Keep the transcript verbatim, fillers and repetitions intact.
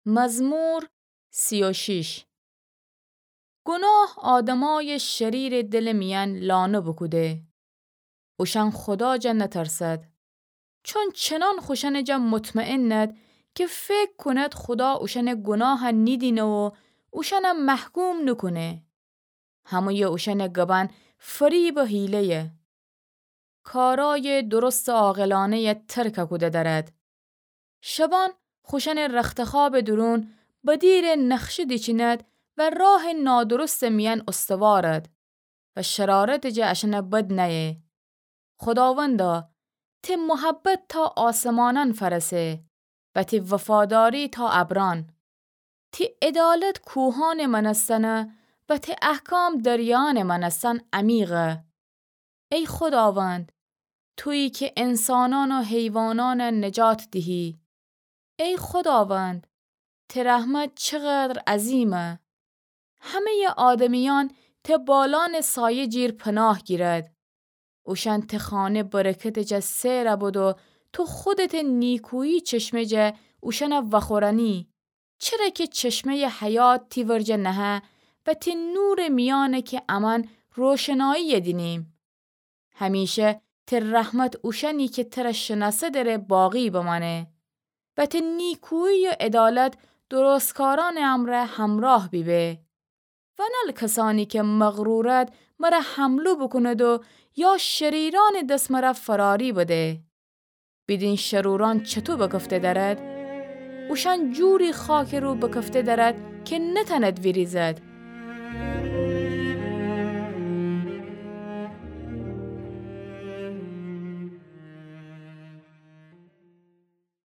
مزمور سی و شش. گناه آدمأیٚ شریرٚ دلٚ میأن لانه بوکوده. اوشأن خودا جا نترسد. چون چنان خوشأنٚ جا مطمئنٚد کی فکر کونید خودا اوشأنٚ گناه نیدینه و اوشأن محکوم نوکونه. همه‌یٚ اوشأنٚ گبأن فریب و حیله‌یه. کارأیٚ درستٚ عاقلأنه‌یه ترک کوده دأرد. شبأن خوشأنٚ رختخوابٚ دورون بدیرٚ نقشه دیچیند و راهٚ نادرستٚ میأن استوارد و شرارتٚ جا اشأن بد نأیه. خوداوندا، تی محبت تا آسمانأن فأرسه و تی وفاداری تا ابرأن. تی عدالت کوهأنٚ مأنستن و تی احکام دریایأنٚ مأنستن عمیقه. ای خوداوند، تویی کی انسانأن و حیوانأن نجات دیهی. ای خوداوند، تی رحمت چقدر عظیمه! همه‌یٚ آدمیأن تی بالأنٚ سایه جیر پناه گیرد. اوشأن تی خانه برکتٚ جا سئر بود و تو خودتٚ نیکویی چشمه جا اوشأن وأخورأنی. چره کی چشمه‌یٚ حیات تی ورجه نهه و تی نورٚ میأنه کی امأن روشنایی دینیم. همیشه تی رحمت اوشأنی کی تر شنأسه دره باقی بمأنه و تی نیکویی و عدالت درستکارأنٚ امرأ همراه بیبه. ونأل کسأنی کی مغرورد مر حمله بوکوند و یا شریرأنٚ دس مر فراری بده. بیدین شرورأن چطو بکفته دأرد؟ اوشأن جوری خاکٚ رو بکفته دأرد کی نتأند ویریزد.